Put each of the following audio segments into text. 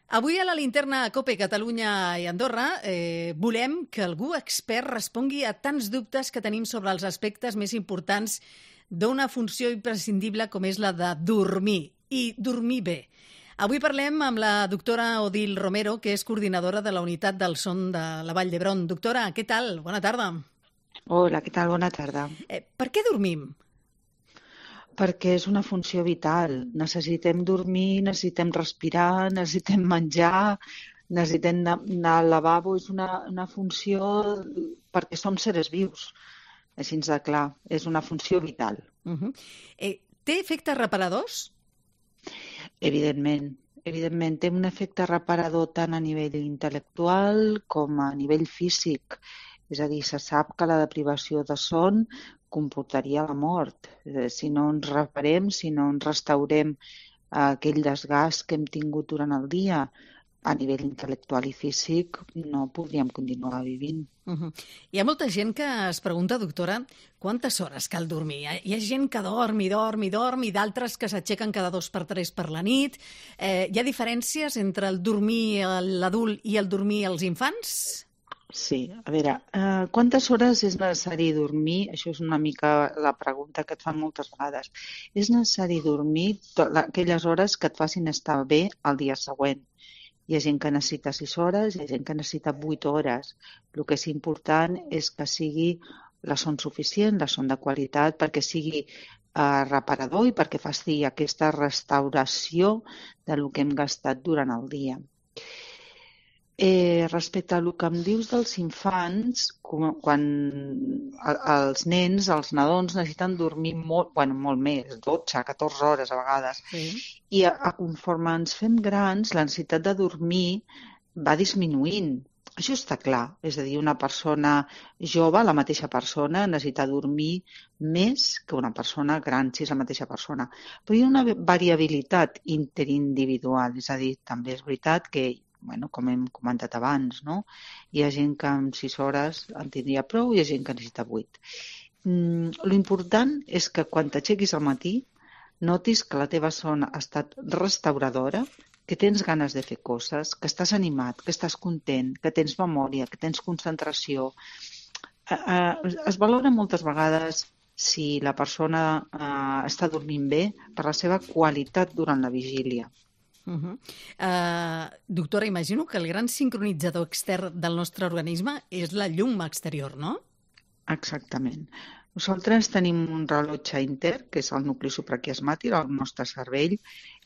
Avui a la linterna COPE Catalunya i Andorra volem que algú expert respongui a tants dubtes que tenim sobre els aspectes més importants d'una funció imprescindible com és la de dormir, i dormir bé. Avui parlem amb la doctora Odil Romero, que és coordinadora de la Unitat del Son de la Vall d'Hebron. Doctora, què tal? Bona tarda. Hola, què tal? Bona tarda. Per què dormim? Perquè és una funció vital. Necessitem dormir, necessitem respirar, necessitem menjar, necessitem anar al lavabo. És una funció perquè som seres vius. Així de clar, és una funció vital. Té efectes reparadors? Evidentment, té un efecte reparador tant a nivell intel·lectual com a nivell físic. És a dir, se sap que la deprivació de son comportaria la mort. Si no ens reparem, si no ens restaurem aquell desgast que hem tingut durant el dia a nivell intel·lectual i físic, no podríem continuar vivint. Hi ha molta gent que es pregunta, doctora, quantes hores cal dormir? Hi ha gent que dorm i d'altres que s'aixequen cada 2 per 3 per la nit. Hi ha diferències entre el dormir l'adult i el dormir als infants? Sí, a veure, quantes hores és necessari dormir? Això és una mica la pregunta que et fan moltes vegades. És necessari dormir aquelles hores que et facin estar bé el dia següent. Hi ha gent que necessita 6 hores, hi ha gent que necessita 8 hores. El que és important és que sigui la son suficient, la son de qualitat, perquè sigui reparador i perquè faci aquesta restauració del que hem gastat durant el dia. Respecte a el que em dius dels infants, quan els nens, els nadons necessiten dormir molt més, 12, 14 hores a vegades. Sí. I conforme ens fem grans, la necessitat de dormir va disminuint. Això està clar. És a dir, una persona jove, la mateixa persona, necessita dormir més que una persona gran, si és la mateixa persona. Però hi ha una variabilitat interindividual. És a dir, també és veritat que com hem comentat abans, no? Hi ha gent que amb 6 hores en tindria prou i hi ha gent que necessita 8. L'important és que quan t'aixequis al matí notis que la teva son ha estat restauradora, que tens ganes de fer coses, que estàs animat, que estàs content, que tens memòria, que tens concentració. Es valora moltes vegades si la persona està dormint bé per la seva qualitat durant la vigília. Doctora, imagino que el gran sincronitzador extern del nostre organisme és la llum exterior, no? Exactament. Nosaltres tenim un rellotge intern, que és el nucli supraquiasmàtic, el nostre cervell,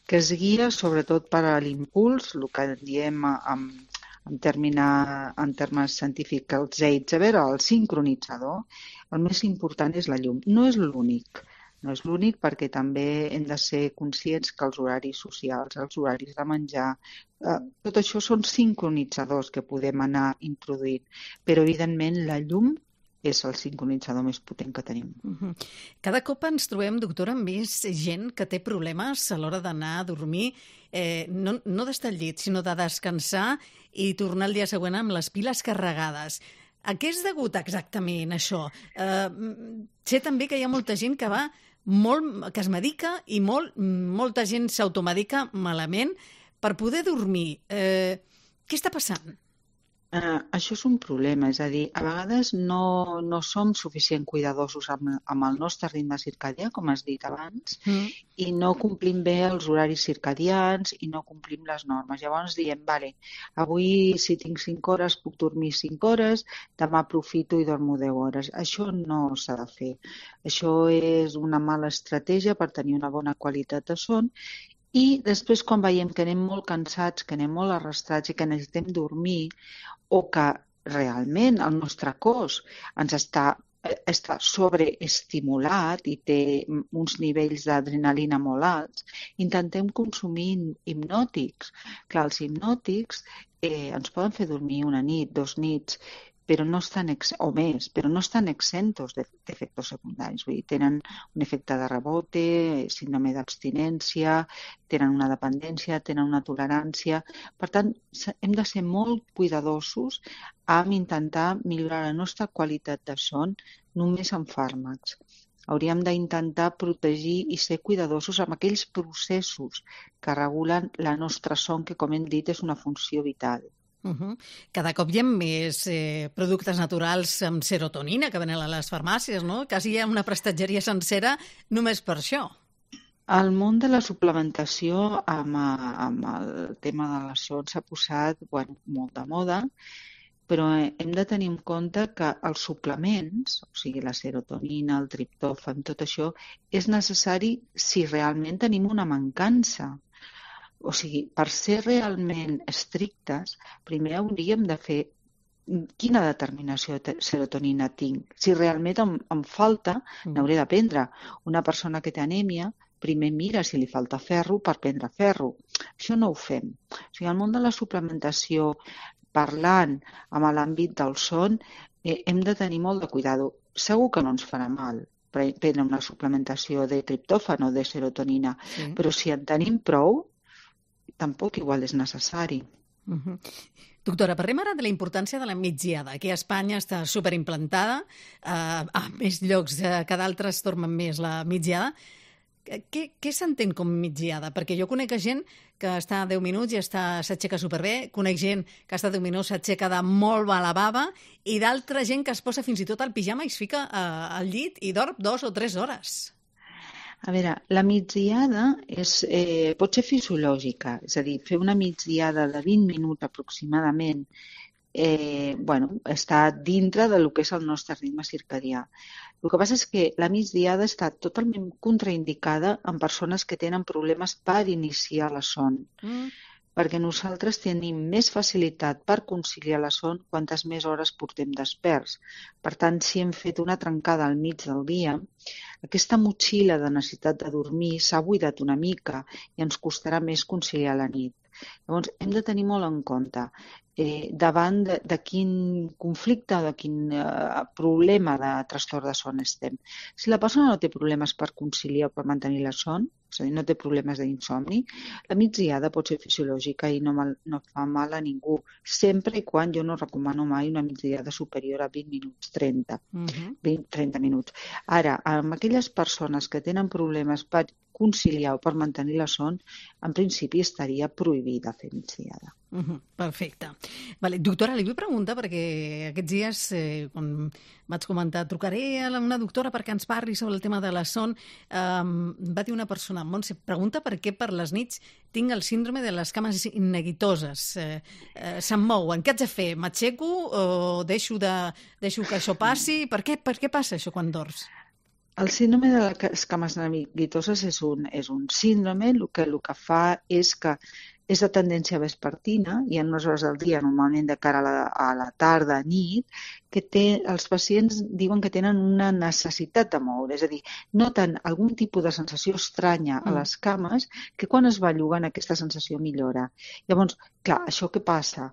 que es guia sobretot per a l'impuls, el que diem en termes científics el Zeitgeber, el sincronitzador. El més important és la llum. No és l'únic. No és l'únic perquè també hem de ser conscients que els horaris socials, els horaris de menjar, tot això són sincronitzadors que podem anar introduint. Però, evidentment, la llum és el sincronitzador més potent que tenim. Cada cop ens trobem, doctora, amb més gent que té problemes a l'hora d'anar a dormir, no d'estar al llit, sinó de descansar i tornar el dia següent amb les piles carregades. A què és degut exactament això? Sé també que hi ha molta gent que que es medica i molta gent s'automedica malament per poder dormir. Què està passant? Això és un problema, és a dir, a vegades no som suficient cuidadosos amb el nostre ritme circadià, com has dit abans, i no complim bé els horaris circadians i no complim les normes. Llavors diem, avui si tinc 5 hores puc dormir 5 hores, demà aprofito i dormo 10 hores. Això no s'ha de fer. Això és una mala estratègia per tenir una bona qualitat de son. I després, quan veiem que anem molt cansats, que anem molt arrastrats i que necessitem dormir, o que realment el nostre cos ens està sobreestimulat i té uns nivells d'adrenalina molt alts, intentem consumir hipnòtics. Clar, els hipnòtics ens poden fer dormir una nit, 2 nits, però no estan exentos d'efectes secundaris. Vull dir, tenen un efecte de rebote, síndrome d'abstinència, tenen una dependència, tenen una tolerància. Per tant, hem de ser molt cuidadosos amb intentar millorar la nostra qualitat de son només amb fàrmacs. Hauríem d'intentar protegir i ser cuidadosos amb aquells processos que regulen la nostra son, que, com hem dit, és una funció vital. Cada cop hi ha més productes naturals amb serotonina que venen a les farmàcies, no? Quasi hi ha una prestatgeria sencera només per això. El món de la suplementació amb el tema de la son s'ha posat molt de moda, però hem de tenir en compte que els suplements, o sigui, la serotonina, el triptòfan, tot això, és necessari si realment tenim una mancança. O sigui, per ser realment estrictes, primer hauríem de fer quina determinació de serotonina tinc. Si realment em falta, n'hauré de prendre. Una persona que té anèmia, primer mira si li falta ferro per prendre ferro. Això no ho fem. O sigui, el món de la suplementació, parlant amb l'àmbit del son, hem de tenir molt de cuidado. Segur que no ens farà mal prendre una suplementació de triptòfan o de serotonina, però si en tenim prou, tampoc igual és necessari. Doctora, parlem ara de la importància de la migdiada. Aquí a Espanya està superimplantada, a més llocs que d'altres tornen més la migdiada. Què s'entén com migdiada? Perquè jo conec gent que està 10 minuts i s'aixeca superbé, conec gent que està 10 minuts, s'aixeca de molt mala bava, i d'altra gent que es posa fins i tot al pijama i es fica al llit i dorm 2 o 3 hores. A veure, la migdiada pot ser fisiològica, és a dir, fer una migdiada de 20 minuts aproximadament està dintre del que és el nostre ritme circadià. El que passa és que la migdiada està totalment contraindicada en persones que tenen problemes per iniciar la son, perquè nosaltres tenim més facilitat per conciliar la son quantes més hores portem desperts. Per tant, si hem fet una trencada al mig del dia, aquesta motxilla de necessitat de dormir s'ha buidat una mica i ens costarà més conciliar la nit. Llavors, hem de tenir molt en compte davant de quin conflicte o de quin problema de trastorn de son estem. Si la persona no té problemes per conciliar o per mantenir la son, és a dir, no té problemes d'insomni, la migdiada pot ser fisiològica i no fa mal a ningú, sempre i quan jo no recomano mai una migdiada superior a 20 minuts, 30 minuts. Ara, amb aquelles persones que tenen problemes per conciliar o per mantenir la son, en principi estaria prohibida fer migdiada. Perfecte. Vale, doctora, li vull preguntar, perquè aquests dies, quan vaig comentar, trucaré a una doctora perquè ens parli sobre el tema de la son, va dir una persona, Montse, pregunta per què per les nits tinc el síndrome de les cames neguitoses. Se'm mouen. Què haig de fer? M'aixeco o deixo que això passi? Per què passa això quan dors? El síndrome de les cames neguitoses és un síndrome, el que fa és que és de tendència vespertina i en unes hores del dia, normalment de cara a la tarda, nit, que els pacients diuen que tenen una necessitat de moure, és a dir, noten algun tipus de sensació estranya a les cames que quan es belluguen aquesta sensació millora. Llavors, clar, això què passa?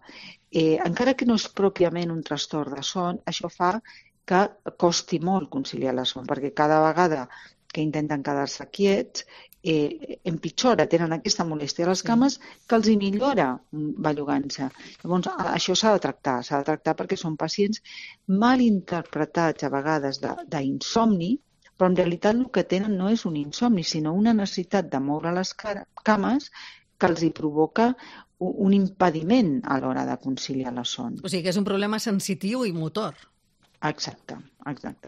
Encara que no és pròpiament un trastorn de son, això fa que costi molt conciliar la son, perquè cada vegada que intenten quedar-se quiets, empitjora, tenen aquesta molèstia a les cames que els hi millora bellugant-se. Llavors, això s'ha de tractar perquè són pacients mal interpretats a vegades d'insomni, però en realitat el que tenen no és un insomni, sinó una necessitat de moure les cames que els hi provoca un impediment a l'hora de conciliar la son. O sigui que és un problema sensitiu i motor. Exacte.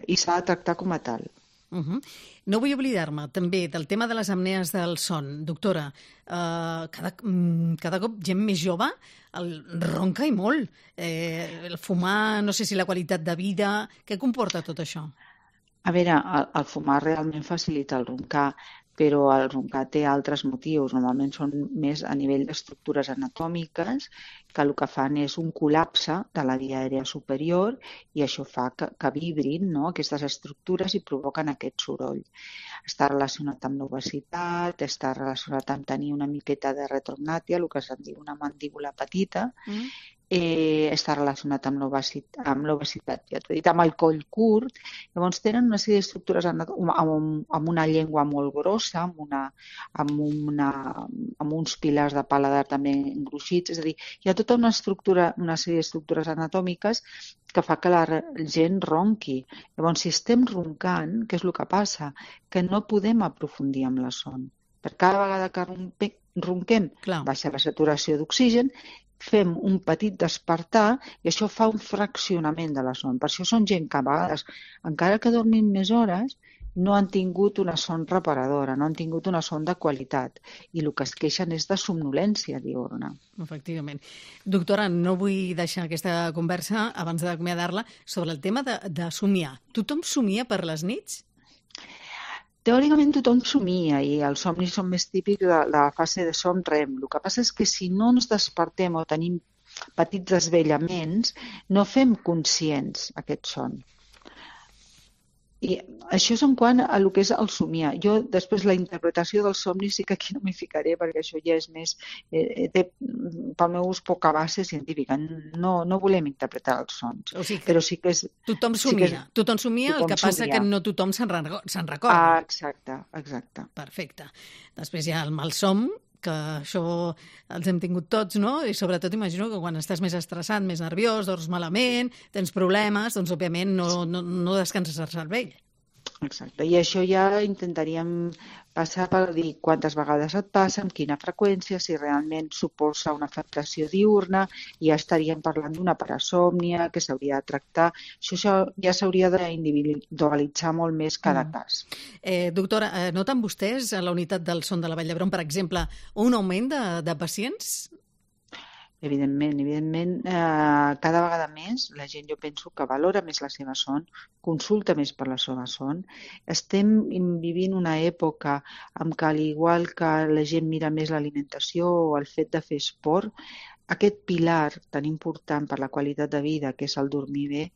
I s'ha de tractar com a tal. No vull oblidar-me també del tema de les apnees del son. Doctora, cada cop gent més jove ronca i molt. El fumar, no sé si la qualitat de vida... Què comporta tot això? A veure, el fumar realment facilita el roncar, però el roncar té altres motius. Normalment són més a nivell d'estructures anatòmiques, que el que fan és un col·lapse de la via aèria superior i això fa que vibrin, no?, aquestes estructures i provoquen aquest soroll. Està relacionat amb l'obesitat, està relacionat amb tenir una miqueta de retrognàtia, el que se'n diu una mandíbula petita, està relacionat amb l'obesitat, ja t'he dit, amb el coll curt. Llavors tenen una sèrie d'estructures amb una llengua molt grossa, amb uns pilars de paladar també engruixits, és a dir, hi ha tota una sèrie d'estructures anatòmiques que fa que la gent ronqui. Llavors, si estem roncant, què és el que passa? Que no podem aprofundir amb la son. Per cada vegada que ronquem, Clar. baixa la saturació d'oxigen, fem un petit despertar i això fa un fraccionament de la son. Per això són gent que a vegades, encara que dormin més hores, no han tingut una son reparadora, no han tingut una son de qualitat i el que es queixen és de somnolència diurna. Efectivament. Doctora, no vull deixar aquesta conversa abans d'acomiadar-la sobre el tema de somiar. Tothom somia per les nits? Teòricament tothom somia i els somnis són més típics de la fase de son REM. El que passa és que si no ens despertem o tenim petits desvellaments, no fem conscients aquest son. I això és en quant a el que és el somiar. Jo, després, la interpretació del somni sí que aquí no m'hi ficaré, perquè això ja és més... té, pel meu ús, poca base científica. No volem interpretar els sons. O sigui, però sí que és... Tothom somia. Tothom somia, el que passa que no tothom se'n recorda. Exacte. Perfecte. Després hi ha el malsom, que això els hem tingut tots, no? I sobretot imagino que quan estàs més estressat, més nerviós, dors malament, tens problemes, doncs òbviament no descanses el cervell. Exacte, i això ja intentaríem passar per dir quantes vegades et passa, amb quina freqüència, si realment suposa una afectació diurna, i ja estaríem parlant d'una parasòmnia que s'hauria de tractar. Això ja s'hauria d'individualitzar molt més cada cas. Doctora, noten vostès a la unitat del son de la Vall d'Hebron, per exemple, un augment de pacients? Evidentment, cada vegada més la gent, jo penso, que valora més la seva son, consulta més per la seva son. Estem vivint una època en què, al igual que la gent mira més l'alimentació o el fet de fer esport, aquest pilar tan important per la qualitat de vida, que és el dormir bé,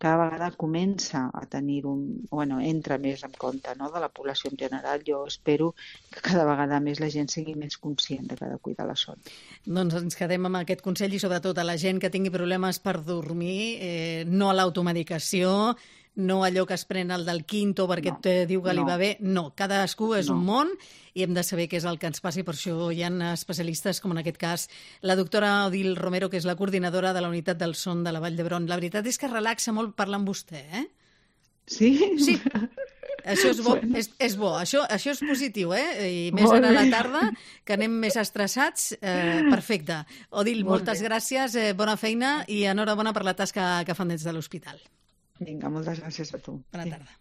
cada vegada comença a tenir entra més en compte, no?, de la població en general. Jo espero que cada vegada més la gent sigui més conscient de que ha de cuidar la son. Doncs ens quedem amb aquest consell i sobretot a la gent que tingui problemes per dormir, no a l'automedicació, no allò que es pren el del quinto perquè et diu que li va bé. No, cadascú és un món i hem de saber què és el que ens passi. Per això hi ha especialistes, com en aquest cas la doctora Odil Romero, que és la coordinadora de la unitat del son de la Vall d'Hebron. La veritat és que relaxa molt parlar amb vostè, eh? Sí? Sí. Això és bo, és bo. Això és positiu, I més ara a la tarda, que anem més estressats. Perfecte. Odil, moltes gràcies, bona feina i enhorabona per la tasca que fan des de l'hospital. Vinga, moltes gràcies a tu. Bona tarda.